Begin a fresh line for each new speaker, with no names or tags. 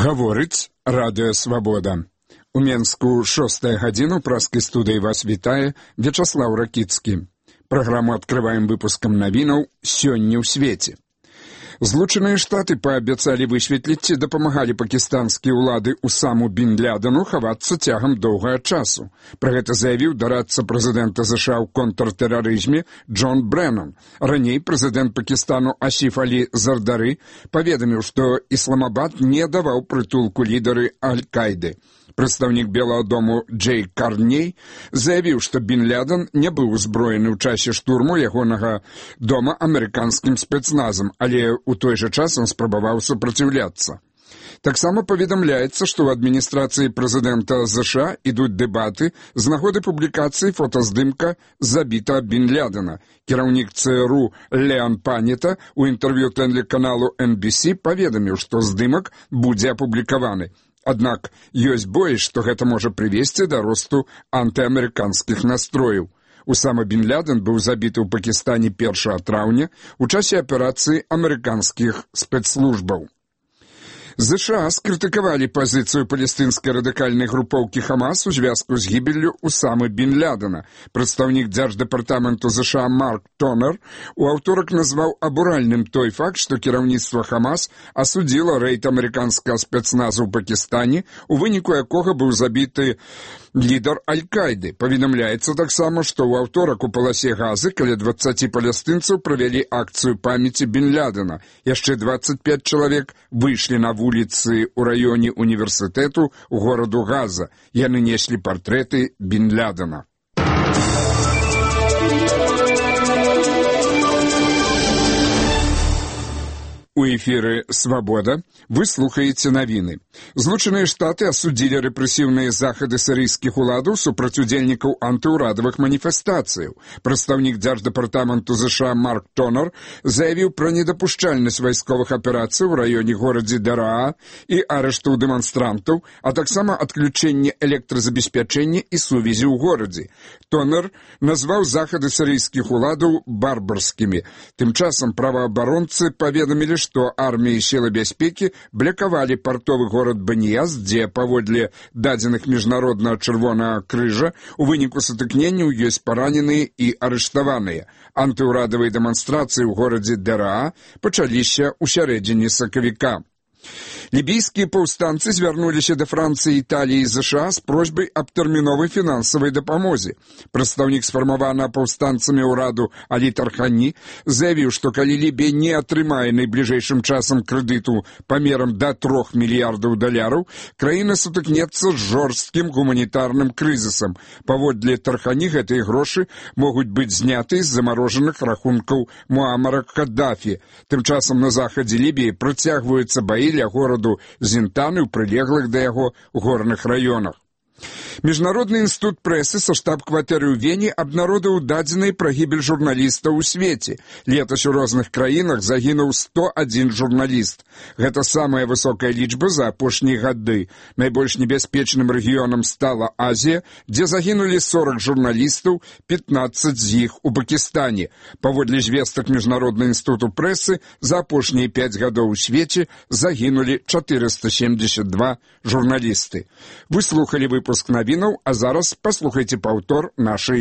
Гаворыць Радыё Свабода. У Менску 6 гадзіну праскай студыі вас вітае Вячаслаў Ракіцкі. Праграму адкрываем выпускам навінаў «Сёння ў свеце». Злучаныя Штаты паабяцалі высветліць, ці дапамагалі пакістанскія ўлады Усаму бін Ладену хавацца цягам доўгага часу. Пра гэта заявіў дарадца прэзідэнта США ў контртэрарызме Джон Брэннан. Раней прэзідэнт Пакістану Асіф Алі Зардары паведаміў, што Ісламабад не даваў прытулку лідары Аль-Кайды. Прадстаўнік Белага дому Джей Карней заявіў, што бін Ладен не быў узброены ў часе штурму ягонага дома амерыканскім спецназам, але ў той жа час ён спрабаваў супраціўляцца. Таксама паведамляецца, што ў адміністрацыі прэзідэнта США ідуць дэбаты з нагоды публікацыі фотаздымка забітага бін Ладена. Кіраўнік ЦРУ Леан Панета ў інтэрв'ю тэлеканалу NBC паведаміў, што здымак будзе апублікаваны. Аднак ёсць боязь, што гэта можа прывесці да росту антыамерыканскіх настрояў. Усама бін Ладен быў забіты ў Пакістане 1 траўня ў часе аперацыі амерыканскіх спецслужбаў. США скрытыкавалі пазіцыю палестынскай радыкальнай групоўкі Хамас у звязку з гібеллю Усамы бін Ладена. Прадстаўнік дзярждэпартаменту США Марк Тонер у аўторак назваў абуральным той факт, што кіраўніцтва Хамас асудзіла рэйд амерыканскага спецназу ў Пакістане, у выніку якога быў забіты лідар Аль-Кайды. Паведамляецца таксама, што ў аўторак у паласе Газы каля 20 палестынцаў правялі акцыю памяці бін Ладена. Яшчэ 25 чалавек выйшлі на вуліцы ў раёне універсітэту гораду Газа. Яны неслі партрэты бін Ладена. У эфіры «Свабода» вы слухаеце навіны. Злучаныя Штаты асудзілі рэпрэсіўныя захады сірыйскіх уладаў супраць удзельнікаў антыўрадавых маніфестацыяў. Прадстаўнік дзярждэпартаменту США Марк Тонер заявіў пра недапушчальнасць вайсковых аперацый у раёне горадзе Дараа і арыштаў дэманстрантаў, а таксама адключэнне электразабеспячэння і сувязі ў горадзе. Тонер назваў захады сірыйскіх уладаў барбарскімі. Тым часам праваабаронцы паведамілі, што арміі і сілы бяспекі блакавалі партовы горад Баніяз, дзе, паводле дадзеных міжнароднага чырвонага крыжа, у выніку сутыкненняў ёсць параненыя і арыштаваныя. Антыўрадавыя дэманстрацыі ў горадзе Дараа пачаліся ў сярэдзіне сакавіка. Лібійскія паўстанцы звярнуліся да Францыі, Італіі і США з просьбай аб тэрміновай фінансавай дапамозе. Прадстаўнік сфармаванага паўстанцамі ўраду Алі Тархані заявіў, што калі Лібія не атрымае найбліжэйшым часам крэдыту памерам да $3 мільярдаў, краіна сутыкнецца з жорсткім гуманітарным крызісам. Паводле Тархані гэтыя грошы могуць быць зняты з замарожаных рахункаў Муамара Каддафі. Тым часам на захадзе Лібіі працягваюцца баі ля гораду Зінтаны ў прылеглых да яго горных раёнах. Міжнародны інстытут прэсы са штаб-кватэры ў Вене абнародаваў дадзеныя пра гібель журналістаў у свеце. Летась у розных краінах загінуў 101 журналіст. Гэта самая высокая лічба за апошнія гады. Найбольш небяспечным рэгіёнам стала Азія, дзе загінулі 40 журналістаў, 15 з іх у Пакістане. Паводле звестак Міжнароднага інстытуту прэсы, за апошнія 5 гадоў у свеце загінулі 472 журналісты. Вы слухалі выпуск навінаў, а зараз паслухайце паўтор нашай